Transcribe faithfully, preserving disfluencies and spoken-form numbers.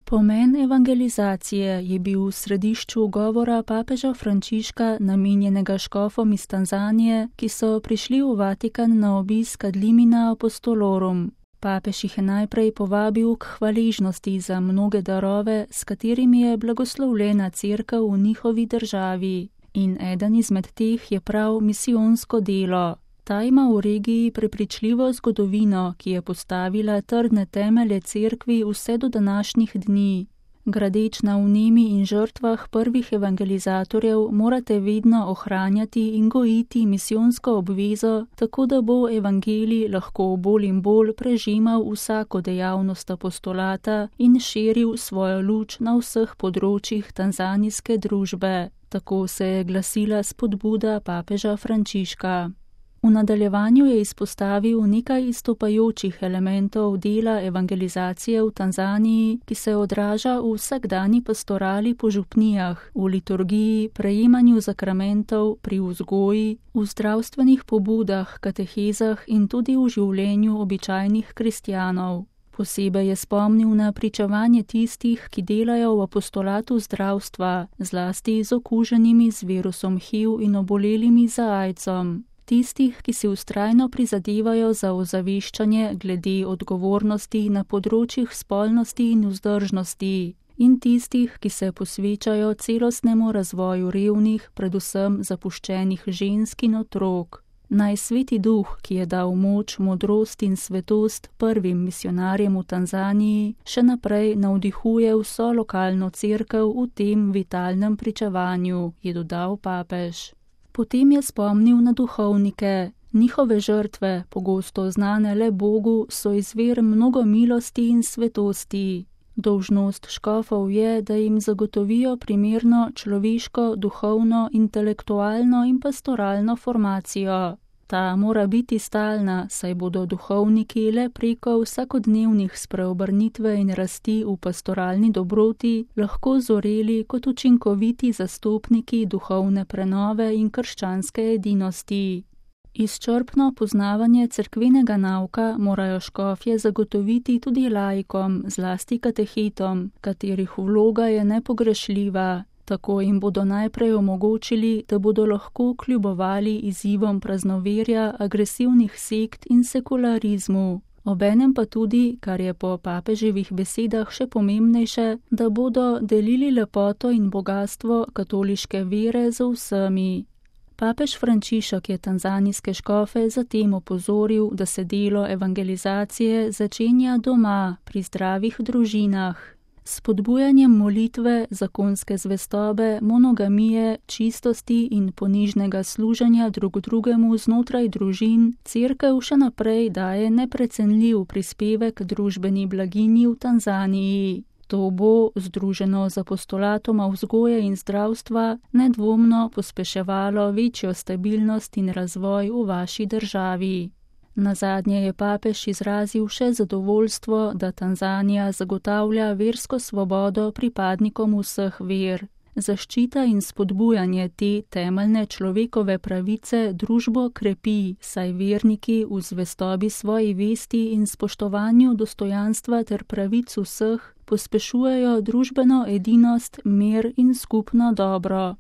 Pomen evangelizacije je bil v središču govora papeža Frančiška, namenjenega škofom iz Tanzanije, ki so prišli v Vatikan na obisk ad limina apostolorum. Papež jih je najprej povabil k hvaležnosti za mnoge darove, s katerimi je blagoslovljena cerkev v njihovi državi. In eden izmed teh je prav misijonsko delo. Ta ima v regiji prepričljivo zgodovino, ki je postavila trdne temelje cerkvi vse do današnjih dni. Gradeč na vnemi in žrtvah prvih evangelizatorjev morate vedno ohranjati in gojiti misijonsko obvezo, tako da bo evangelij lahko bolj in bolj prežimal vsako dejavnost apostolata in širil svojo luč na vseh področjih tanzanijske družbe. Tako se je glasila spodbuda papeža Frančiška. V nadaljevanju je izpostavil nekaj izstopajočih elementov dela evangelizacije v Tanzaniji, ki se odraža v vsakdani pastorali po župnijah, v liturgiji, prejemanju zakramentov, pri vzgoji, v zdravstvenih pobudah, katehezah in tudi v življenju običajnih kristjanov. Posebej je spomnil na pričevanje tistih, ki delajo v apostolatu zdravstva, zlasti z okuženimi z virusom H I V in obolelimi za aidsom. Tistih, ki si vztrajno prizadevajo za ozaveščanje glede odgovornosti na področjih spolnosti in vzdržnosti, in tistih, ki se posvečajo celostnemu razvoju revnih, predvsem zapuščenih žensk in otrok. Naj Sveti Duh, ki je dal moč, modrost in svetost prvim misionarjem v Tanzaniji, še naprej navdihuje vso lokalno cerkev v tem vitalnem pričevanju, je dodal papež. Potem je spomnil na duhovnike. Njihove žrtve, pogosto znane le Bogu, so izvir mnogo milosti in svetosti. Dolžnost škofov je, da jim zagotovijo primerno človeško, duhovno, intelektualno in pastoralno formacijo. Ta mora biti stalna, saj bodo duhovniki le preko vsakodnevnih spreobrnitve in rasti v pastoralni dobroti lahko zoreli kot učinkoviti zastopniki duhovne prenove in krščanske edinosti. Izčrpno poznavanje cerkvenega nauka morajo škofje zagotoviti tudi laikom, zlasti katehetom, katerih vloga je nepogrešljiva. Tako jim bodo najprej omogočili, da bodo lahko kljubovali izzivom praznoverja, agresivnih sekt in sekularizmu. Obenem pa tudi, kar je po papeževih besedah še pomembnejše, da bodo delili lepoto in bogastvo katoliške vere z vsemi. Papež Frančišek je tanzanijske škofe zatem opozoril, da se delo evangelizacije začenja doma, pri zdravih družinah. S spodbujanjem molitve, zakonske zvestobe, monogamije, čistosti in ponižnega služenja drug drugemu znotraj družin, cerkev še naprej daje neprecenljiv prispevek družbeni blaginji v Tanzaniji. To bo, združeno z apostolatoma vzgoje in zdravstva, nedvomno pospeševalo večjo stabilnost in razvoj v vaši državi. Nazadnje je papež izrazil še zadovoljstvo, da Tanzanija zagotavlja versko svobodo pripadnikom vseh ver. Zaščita in spodbujanje te temeljne človekove pravice družbo krepi, saj verniki v zvestobi svoji vesti in spoštovanju dostojanstva ter pravic vseh pospešujejo družbeno edinost, mir in skupno dobro.